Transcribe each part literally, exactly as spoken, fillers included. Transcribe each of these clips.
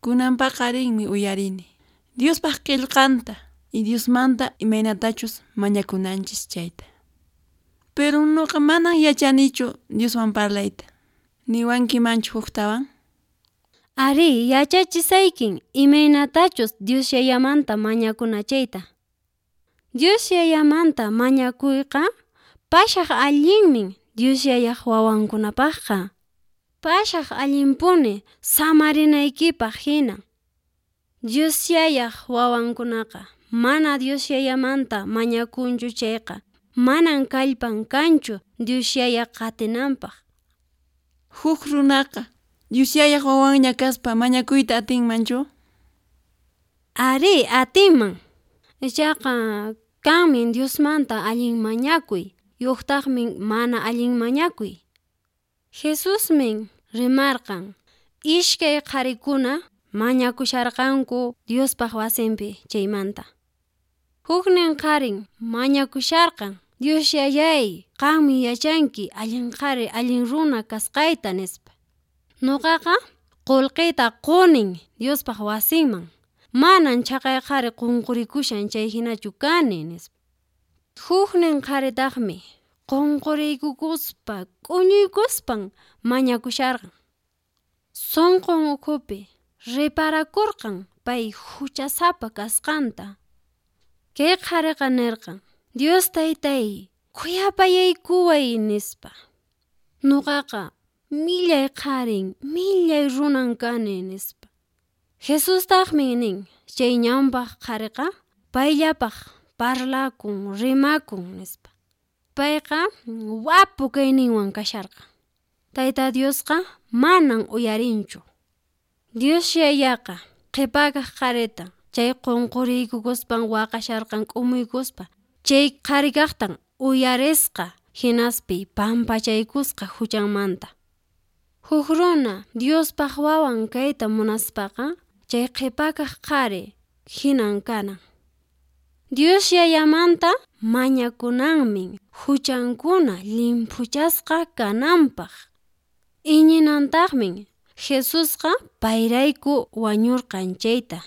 Kunan paqarinmi uyarini Diospaq qillqanta y Diosmanta imaynatachus mañakunanchis chayta. Pero nuqa manan yachanichu Dioswan parlayta. Niwankimanchu huktawan? Arí, yachachisaykin imaynatachus Dios Yayamanta mañakuna chayta. Dios Yayamanta mañakuyqa pashaq allinmin Dios Yayaq wawankunapaqqa. Pashaq allinpuni samarinaykipaq hina. Dios Yayaq wawankunaqa mana Dios Yayamanta mañakunchu chayqa manan kallpan kanchu Dios Yaya qatinanpaq. Huk runaqa Dios Yayaq wawanña kaspa mañakuyta atinmanchu? Arí, atinman. Ichaqa kanmin Diosmanta allin mañakuy, yuqtaqmi mana allin mañakuy. Jesusmin rimarqan ishkay qharikuna mañakusharqanku Diospaq wasinpi chaymanta. Huknin qharin mañakusharqan, Dios Yayay, qanmi yachanki allin qhari allin runa kasqayta nispa. Nuqaqa qullqiyta qunin Diospaq wasinman, manan chhaqay qhari qunqurikushan chay hinachu kani nispa. Huknin qharitaqmi qunquriykukuspa k'uñuykuspan mañakusharqan. Sunqun ukhupi reparakurqan pay huchasapa kasqanta. Kay qhariqa nirqan, Dios taytay, khuyapayaykuway nispa. Nuqaqa millay qharin, millay runan kani nispa. Jesustaqmi nin, chay ñawpaq qhariqa payllapaq parlakun, rimakun nispa. Payqa wapu kayninwan kasharqan. Tayta Diosqa manan uyarinchu. Dios Yayaqa qhipakaq qharita chay qunquriykukuspan waqasharqan k'umuykuspa chay qharikaqtan uyarisqa hinaspi pampachaykusqa huchanmanta. Huk runa Diospaq wawan kayta munaspaqa chay qhipakaq qhari hinan kanan. Dios Yayamanta mañakunanmin huchankuna llimphuchasqa kananpaq. Iñinantaqmin Jesusqa payrayku wañurqan chayta.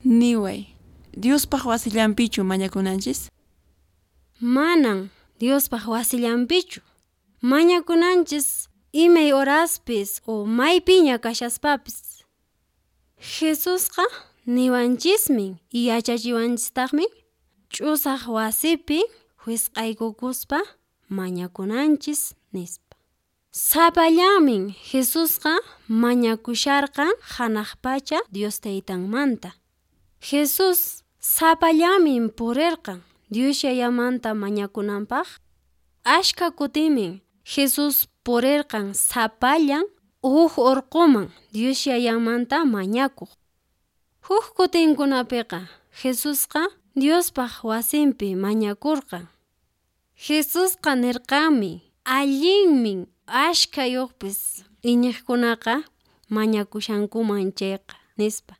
Niway, Diospaq wasillanpichu mañakunanchis? Manan Diospaq wasillanpichu. Mañakunanchis imay horaspis o maypiña kashaspapis. Jesusqa niwanchismin yachachiwanchistaqmi ch'usaq wasipi wisq'aykukuspa mañakunanchis nispa. Sapallanmin Jesusqa mañakusharqan hanaq pacha Dios taytanmanta. Jesús sapallanmin purirqan Dios Yayamanta mañakunanpaq. Ashka kutinmin Jesús purirqan sapallan huk urquman Dios Yayamanta mañakuq. Huk kutinkunapiqa Jesusqa Diospaq wasinpi mañakurqan. Jesusqa nirqanmi allinmin ashkhayuqpis iñiqkunaqa mañakushankuman chayqa nispa.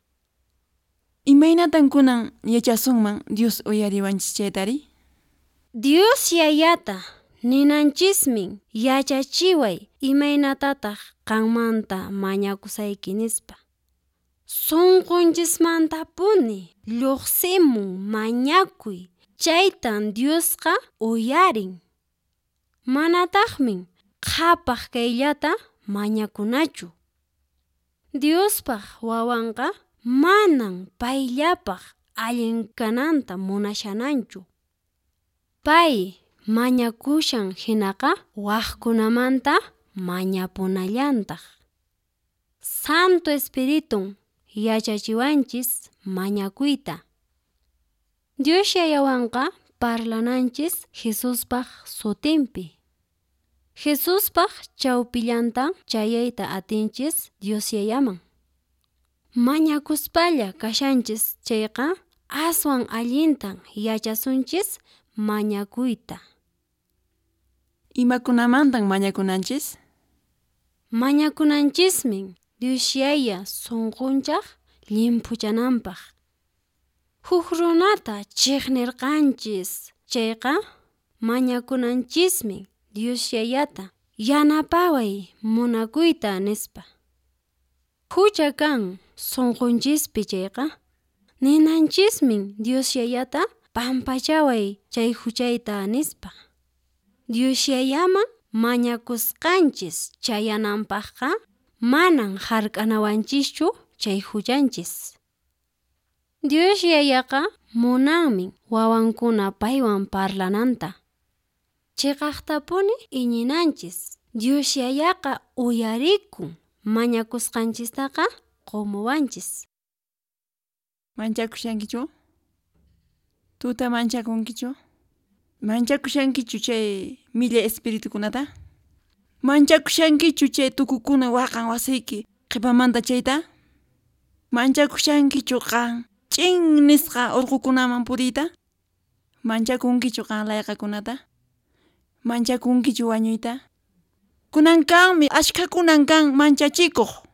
Imaynatan kunan yachasunman Dios uyariwanchis chaytari? Dios Yayata ninanchismin yachachiway imaynatataq qanmanta mañakusayki nispa. Sunqunchismantapuni lluqsimun mañakuy chaytan Diosqa uyarin. Manataqmin qhapaq kayllata mañakunachu. Diospaq wawanqa manan payllapaq allin kananta munashananchu. Pay mañakushan hinaqa waqkunamanta mañapunallantaq. Santo Espiritun yachachiwanchis mañakuyta. Dios Yayawanqa parlananchis Jesuspaq sutinpi. Jesuspaq chawpillantan chayayta atinchis Dios Yayaman. Mañakuspalla kashanchis chayqa aswan allintan yachasunchis mañakuyta. Imakunamantan mañakunanchis? Mañakunanchismin Dios Yaya sunqunchaq llimphuchananpaq. Huk runata chiqnirqanchis chayqa mañakunanchismi Dios Yayata yanapaway munakuyta nispa. Hucha kan Sunqunchispi chayqa ninanchismin Dios Yayata pampachaway chay huchayta nispa. Dios Yayaman mañakusqanchis chayananpaqqa manan hark'anawanchischu chay huchanchis. Dios Yayaqa munanmi wawankuna paywan parlananta. Chiqaqtapuni iñinanchis Dios Yayaqa uyarikun mañakusqanchistaqa qumuwanchis. Manchakushankichu? Tuta manchakunkichu? Manchakushankichu chay millay espiritukunata? Manchakushankichu chay tukukuna waqan wasiyki qhipamanta chayta? Manchakushankichu qan ch'in nisqa urqukunaman puriyta? Manchakunkichu qan layqakunata? Manchakunkichu wañuyta? Kunan kanmi ashkhakunan kan manchachikuq.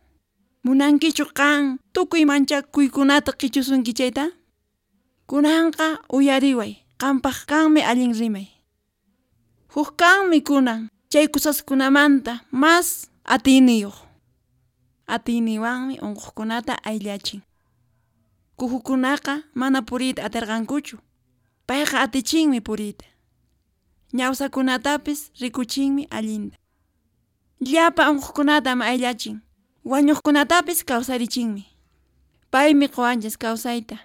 Munankichu qan tukuy manchakuykunata qichusunki chayta? Kunanqa uyariway, qampaq kanmi allin rimay. Huk kanmi kunan chay kusaskunamanta mas atiyniyuq. Atiyninwanmi unquqkunata ayllachin. Kuhukunaqa mana puriyta atirqankuchu. Payqa atichinmi puriyta. Ñawsakunatapis rikuchinmi allinta. Llapa unquqkunatam ayllachin. Wañuqkunatapis kawsarichinmi. Paymi quwanchis kawsayta.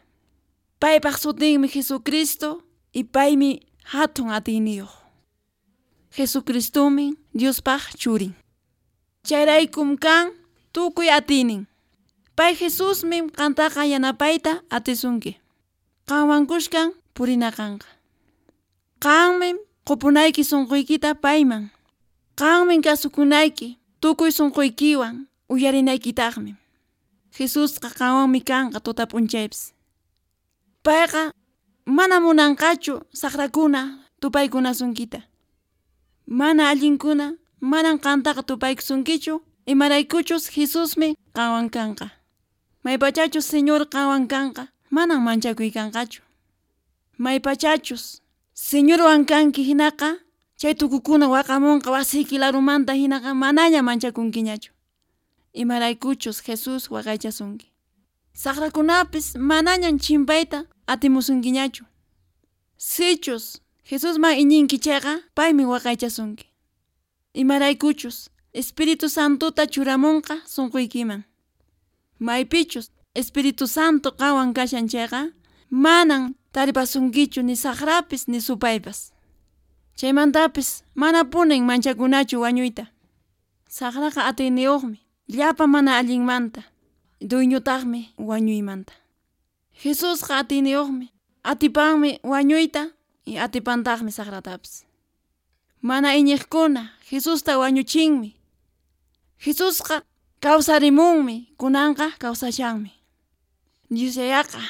Paypaq sutinmi Jesucristo y paymi hatun atiyniyuq. Jesucristomi Diospaq churin. Chayraykum kan tukuy atiynin. Pay Jesusmi qantaqa yanapayta atisunki. Qanwan kushkan purinaqanqa. Qanmi qupunayki sunquykita payman. Qanmi kasukunayki tukuy sunquykiwan uyarinaykitaqmi. Jesusqa qanwanmi kanqa tuta p'unchaypis. Payqa mana munanqachu saqrakuna tupaykunasunkita. Mana allinkuna manan qantaqa tupaykusunkichu imaraykuchus Jesusmi qanwan kanqa. Maypachachus Señor qanwan kanqa manan manchakuy kanqachu. Maypachachus Señorwan kanki hinaqa chay tukukuna waqamunqa wasiyki larumanta hinaqa manaña manchakunkiñachu. Imaraykuchus Jesús waqaychasunki. Saqrakunapis manañan chimpayta atimusunkiñachu. Sichus Jesusman iñinki chayqa paymi waqaychasunki. Imaraykuchus Espíritu Santota churamunqa sunquykiman. Maypichus Espíritu Santo qanwan kashan chayqa manan taripasunkichu ni saqrapis ni supaypas. Chaymantapis manapunin manchakunachu wañuyta. Saqraqa atiyniyuqmi llapa mana allinmanta, dueñotaqmi wañuymanta. Jesusqa atiyniyuqmi, atipanmi wañuyta y atipantaqmi saqratapis. Mana iñiqkuna Jesusta wañuchinmi. Jesusqa kawsarimunmi, kunanqa kawsashanmi. Dios Yayaqa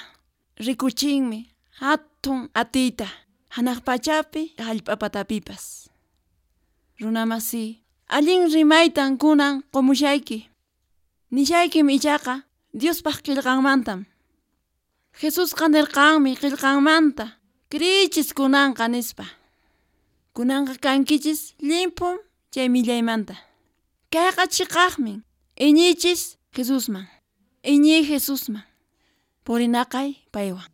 rikuchinmi hatun atiyta hanaq pachapi hallp'a patapipas. Runamasi, allin rimaytan kunan qumushayki. Nishaykim ichaqa Diospaq qillqanmantam. Jesusqa nirqanmi qillqanmanta kriychis kunanqa nispa. Kunanqa kankichis llimpum chay millaymanta. Kayqa chiqaqmin iñiychis Jesusman. Iñiy Jesusman. Purinaqay paywan.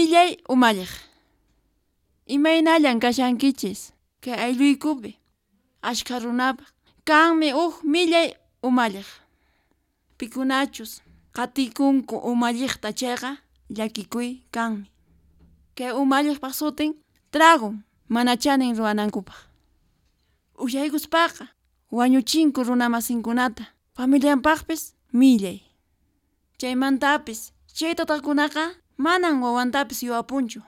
Millay umalliq. Imaynallan kashankichis kay aylluykupi ashkha runapaq kanmi huk millay umalliq. Pikunachus qatikunku umalliqta chayqa llakikuy kanmi. Kay umalliqpaq sutin tragun mana chanin ruwanankupaq. Ushaykuspaqa wañuchinku runamasinkunata familianpaqpis millay. Chaymantapis chay tatakunaqa manan wawantapis yuwapunchu.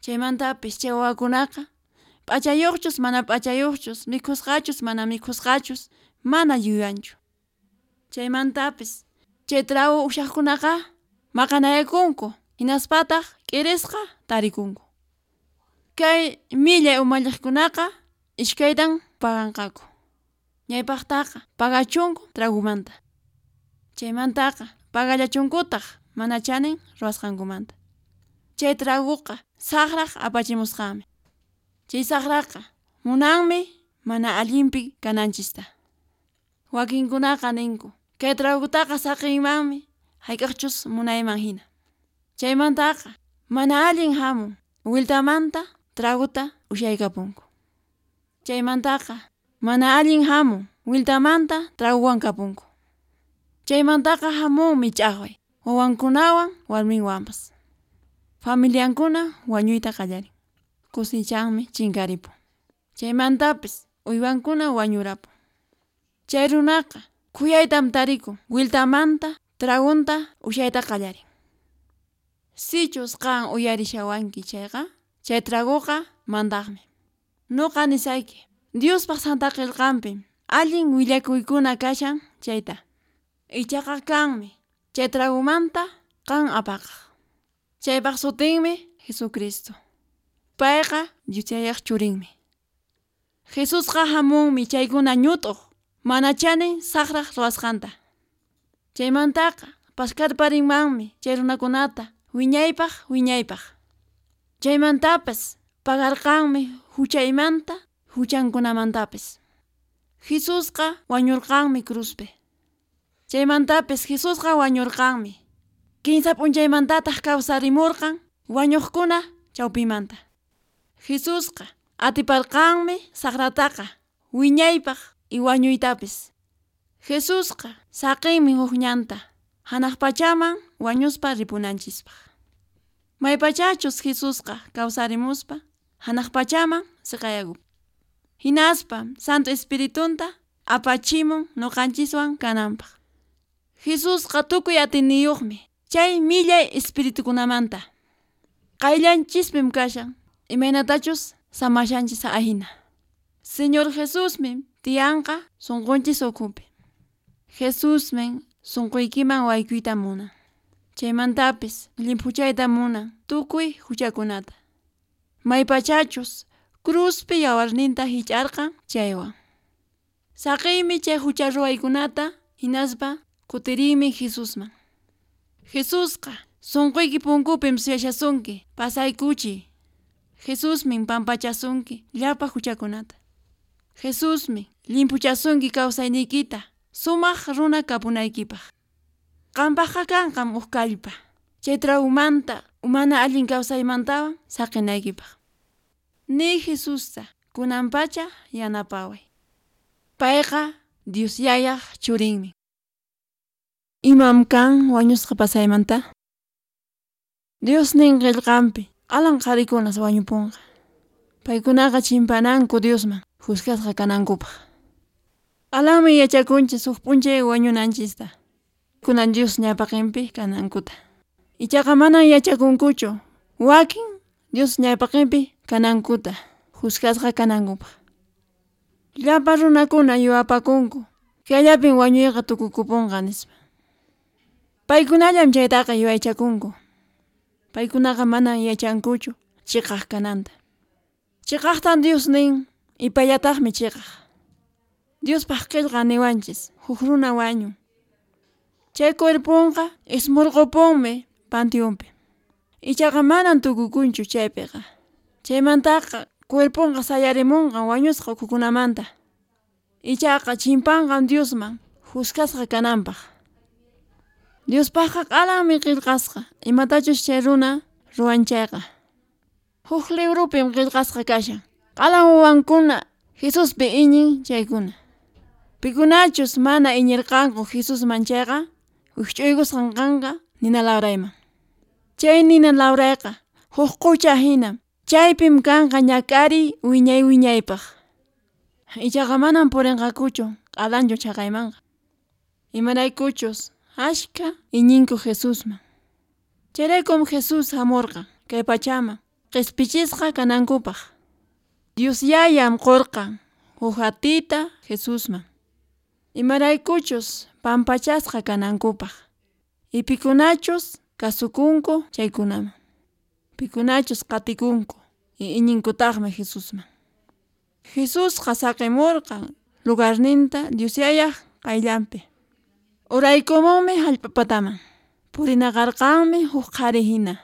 Chaymantapis chay wawakunaqa p'achayuqchus mana p'achayuqchus mikhusqachus mana mikhusqachus mana yuyanchu. Chaymantapis chay trago ushaqkunaqa maqanayakunku hinaspataq k'irisqa tarikunku. Kay millay umalliqkunaqa iskaytan paganqaku. Ñawpaqtaqa pagachunku tragumanta. Chaymantaqa pagallachunkutaq mana chanin ruwasqankumanta. Chay traguqa saqraq apachimusqanmi. Chay saqraqa munanmi mana allinpi kananchista. Wakinkunaqa ninku kay tragutaqa saqiymanmi hayk'aqchus munayman hina. Chaymantaqa mana allin hamun wiltamanta traguta ushaykapunku. Chaymantaqa mana allin hamun wiltamanta traguwan kapunku. Chaymantaqa hamunmi ch'aqway wawankunawan warminwanpas. Familiankuna wañuyta qallarin. Kusichanmi chinkaripun. Chaymantapis uywankuna wañurapun. Chay runaqa khuyaytam tarikun wiltamanta tragunta ushayta qallarin. Sichus qan uyarishawanki chayqa chay traguqa mandaqmi. Nuqa nisayki Diospaq Santa Qillqanpim allin willakuykuna kashan chayta. Ichaqa kanmi chay tragumanta qan apaqaq. Chaypaq sutinmi Jesucristo. Payqa Dios Yayaq churinmi. Jesusqa hamunmi chaykuna ñut'uq mana chanin saqraq ruwasqanta. Chaymantaqa paskarparinmanmi chay runakunata wiñaypaq wiñaypaq. Chaymantapas pagarqanmi huchaymanta huchankunamantapis. Jesusqa wañurqanmi cruzpi. Chaymantapis Jesusqa wañurqanmi. Kinsa p'unchaymantataq kawsarimurqan wañuqkuna chawpimanta. Jesusqa atiparqanmi saqrataqa wiñaypaq y wañuytapis. Jesusqa saqinmi huk ñanta hanaq pachaman wañuspa ripunanchispaq. Maypachachus Jesusqa kawsarimuspa hanaq pachaman siqayakupun. Hinaspa Santo Espiritunta apachimun nuqanchiswan kananpaq. Jesusqa tukuy atiniyuqmi chay millay espiritukunamanta. Qayllanchispim kashan imaynatachus samashanchis ahina. Señor Jesusmi tiyanqa sunqunchis ukhupi. Jesusmi sunquykiman waykuyta munan. Chaymantapis llimphuchayta munan tukuy huchakunata. Maypachachus cruzpi yawarninta hich'arqan chaywan. Saqiymi chay hucha ruwaykunata hinaspa kutiriymi Jesusman. Jesusqa sunquyki punkupim suyashasunki pasaykuchiy. Jesusmin pampachasunki llapa huchakunata. Jesusmi llimphuchasunki kawsayniykita sumaq runa kapunaykipaq. Qampaqqa kanqam huk kallpa chay tragumanta mana allin kawsaymantawan saqinaykipaq. Niy Jesusta kunanpacha yanapaway. Payqa Dios Yayaq churinmi. Imam kan wañusqa pasaymanta? Dios nin qillqanpi alan qharikunas wañupunqa. Paykunaqa chimpananku Diosman juzgasqa kanankupaq. Alanmi yachakunchis huk p'unchay wañunanchista. Kunan Dios ñawpaqinpi kanankuta. Ichaqa manan yachakunkuchu wakin Dios ñawpaqinpi kanankuta juzgasqa kanankupaq. Llapa runakuna yuwapakunku kayllapin wañuyqa tukukupunqa nispa. Paykunallam chaytaqa yuyaychakunku. Paykunaqa manan yachankuchu chiqaq kananta. Chiqaqtan Dios nin ipallataqmi chiqaq. Diospaq qillqa niwanchis huk runa wañun. Chay cuerponqa ismurqupunmi panteonpi. Ichaqa manan tukukunchu chaypiqa. Chaymantaqa cuerponqa sayarimunqa wañusqa ukhukunamanta. Ichaqa chimpanqam Diosman juzgasqa kananpaq. Diospaqqa q'alanmi qillqasqa imatachus chay runa ruwan chayqa. Huk librupim qillqasqa kashan, q'alan wawankuna Jesuspi iñin chaykuna. Pikunachus mana iñirqanku Jesusman chayqa, wikch'uykusqan kanqa nina lawrayman. Chay nina lawrayqa huk qucha hinam, chaypim kanqa ñak'ariy wiñay wiñaypaq. Ichaqa manam purinqakuchu q'alanchu chaqaymanqa. Imaraykuchus ashka iñinku Jesusman. Chayraykum Jesús hamurqan kay pachaman qispichisqa kanankupaq. Dios Yayam qurqan huk atiyta Jesusman. Imaraykuchus pampachasqa kanankupaq. Y pikunachus kasukunku chaykunaman. Pikunachus qatikunku y iñinkutaqmi Jesusman. Jesusqa saqimurqan lugarninta Dios Yayaq qayllanpi. Uraykumunmi hallp'a pataman. Purinaqarqanmi huk qhari hina.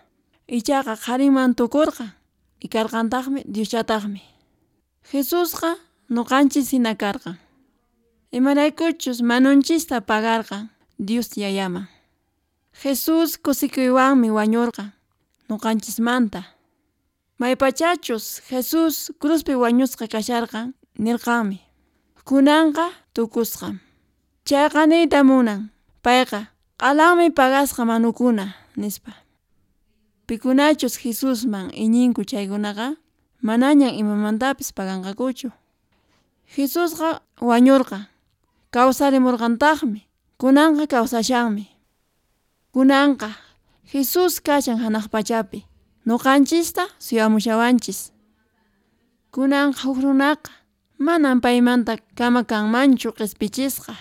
Ichaqa qhariman tukurqan y karqantaqmi Dioschataqmi. Jesusqa nuqanchis hina karqan. Imaraykuchus manunchista pagarqan Dios Yayaman. Jesús kusikuywanmi wañurqan nuqanchismanta. Maypachachus Jesús cruzpi wañusqa kasharqan nirqanmi. Kunanqa tukusqam. Chayqa niyta munan, payqa q'alanmi pagasqa manukuna nispa. Pikunachus Jesusman iñinku chaykunaqa manañan imamantapis paganqakuchu. Jesusqa wañurqan, kawsarimurqantaqmi, kunanqa kawsashanmi. Kunanqa Jesús kashan hanaq pachapi, nuqanchista suyamushawanchis. Kunanqa huk runaqa manam paymanta kama kanmanchu qispichisqa.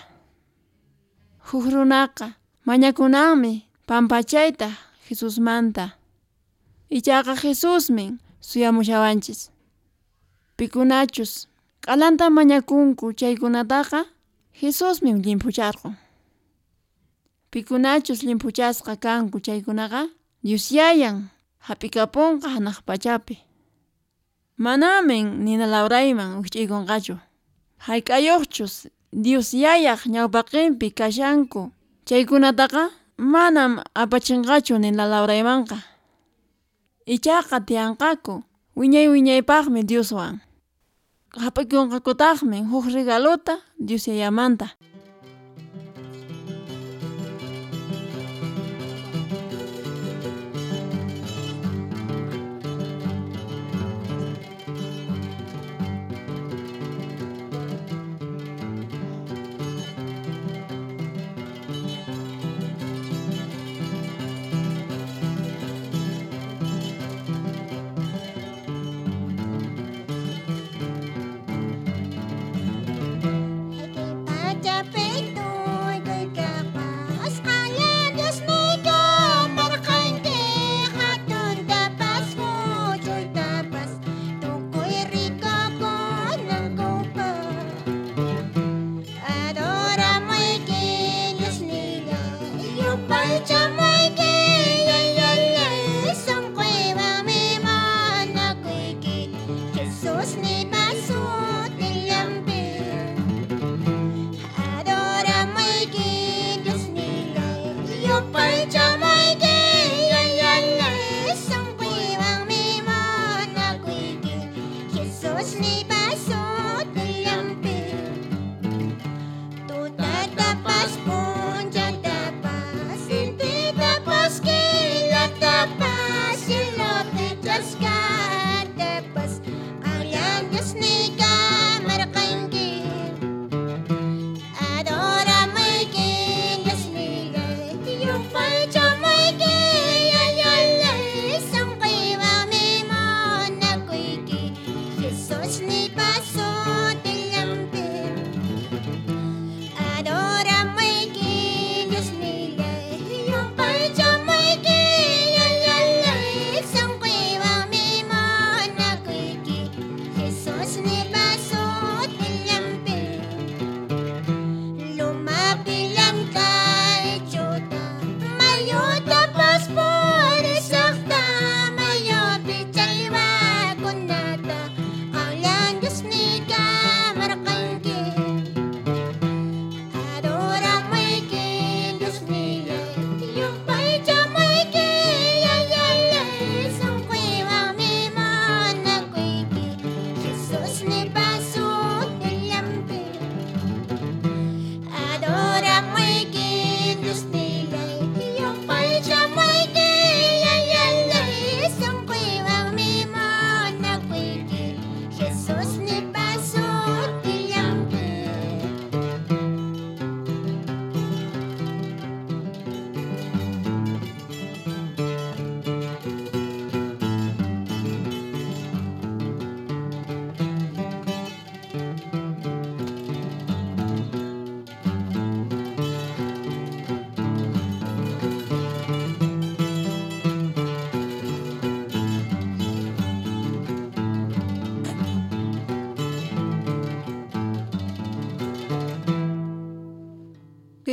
Huk runaqa mañakunanmi pampachayta Jesusmanta. Ichaqa Jesusmin suyamushawanchis. Pikunachus q'alanta mañakunku chaykunataqa Jesusmi llimphucharqun. Pikunachus llimphuchasqa kanku chaykunaqa Dios Yayan hap'ikapunqa hanaq pachapi. Manamin nina lawrayman wikch'uykunqachu. Hayk'ayuqchus Dios Yayaq ñawpaqinpi kashanku chaykunataqa manam apachinqachu nina lawraymanqa. Ichaqa tiyanqaku wiñay wiñaypaqmi Dioswan. Hap'ikunqakutaqmi huk regalota Dios Yayamanta. Kay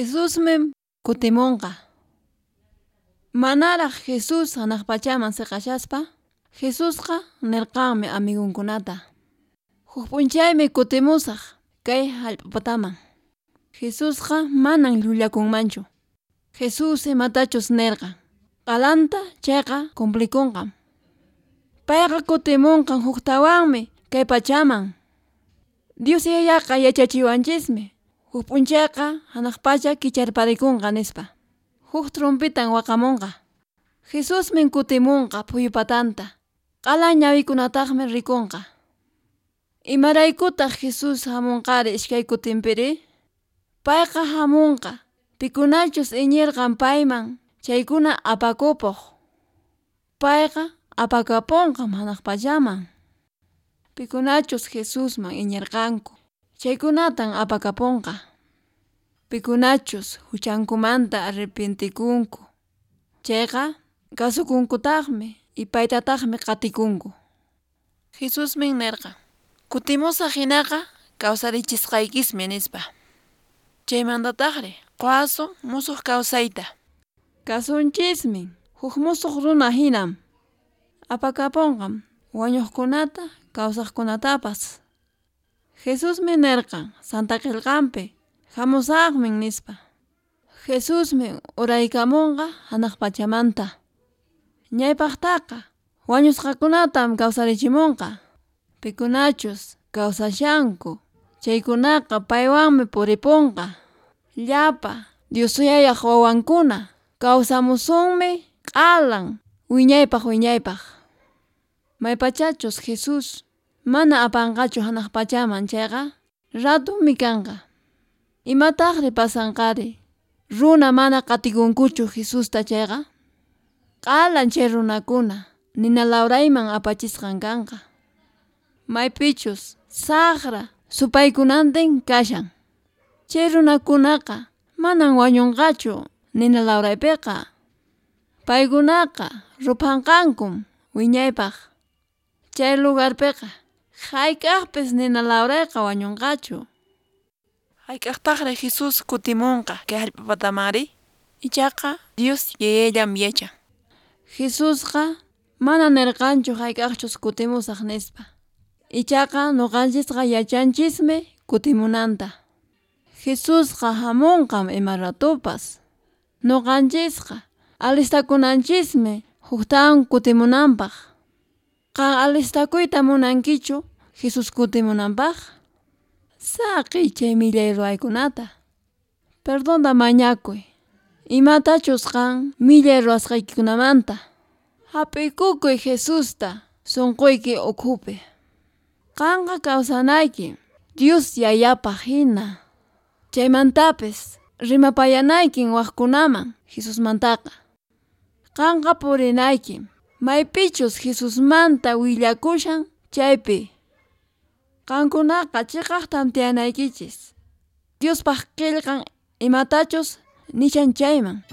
Jesusmi kutimunqa. Manaraq Jesús hanaq pachaman siqashaspa, Jesusqa nirqanmi amigunkunata: Huk p'unchaymi kutimusaq kay hallp'a pataman. Jesusqa manan llullakunmanchu. Jesús imatachus nirqan, q'alanta chayqa cumplikunqam. Payqa kutimunqan huktawanmi kay pachaman. Dios Yayaqa yachachiwanchismi, huk p'unchayqa hanaq pacha kicharparikunqa nispa. Huk trompitan waqamunqa. Jesusmi kutimunqa phuyu patanta. Q'alan ñawikunataqmi rikunqa. Imaraykutaq Jesús hamunqari iskay kutinpiri? Payqa hamunqa pikunachus iñirqan payman chaykuna apakupuq. Payqa apakapunqam hanaq pachaman. Pikunachus Jesusman iñirqanku chaykunatan apakapunqa. Pikunachus huchankumanta arrepentikunku chayqa kasukunkutaqmi y paytataqmi qatikunku. Jesusmi nirqan: Kutimusaq hinaqa kawsarichisqaykismi nispa. Chaymantataqri quwasun musuq kawsayta. Kasunchismi huk musuq runa hinam. Apakapunqam wañuqkunata kawsaqkunatapas. Jesusmi nirqan Santa Qillqanpi hamusaqmi nispa. Jesusmi uraykamunqa hanaq pachamanta. Ñawpaqtaqa wañusqakunatam kawsarichimunqa. Pikunachus kawsashanku chaykunaqa paywanmi puripunqa. Llapa Dios Yayaq wawankuna kawsamusunmi q'alan wiñaypaq wiñaypaq. Maypachachus Jesús mana apanqachu hanaq pachaman chayqa ratumi kanqa. Imataqri pasanqari runa mana qatikunkuchu Jesusta chayqa? Q'alan chay runakuna nina lawrayman apachisqan kanqa. Maypichus saqra supaykunantin kashan. Chay runakunaqa manan wañunqachu nina lawraypiqa. Paykunaqa ruphanqankum wiñaypaq. Chay lugarpiqa hayk'aqpis nina lawrayqa wañunqachu. Hayk'aqtaqri Jesús kutimunqa kay hallp'a patamari? Ichaqa Dios Yayallam yachan. Jesusqa mana nirqanchu hayk'aqchus kutimusaq nispa. Ichaqa nuqanchisqa yachanchismi kutimunanta. Jesusqa hamunqam ima ratupas. Nuqanchisqa alistakunanchismi huktawan kutimunanpaq. Qan alistakuyta munankichu Jesús kutimunanpaq? Saqiy chay millay ruwaykunata. Perdonta mañakuy. Imatachus qan millay ruwasqaykikunamanta. Hap'ikukuy Jesusta sunquyki ukhupi. Qanqa kawsanayki Dios Yayapaq hina. Chaymantapis rimapayanaykin waqkunaman Jesusmantaqa. Qanqa purinayki maypichus Jesusmanta willakushan chaypi. Qankunaqa chiqaqtam tiyanaykichis. Diospaq qillqan imatachus nishan chayman.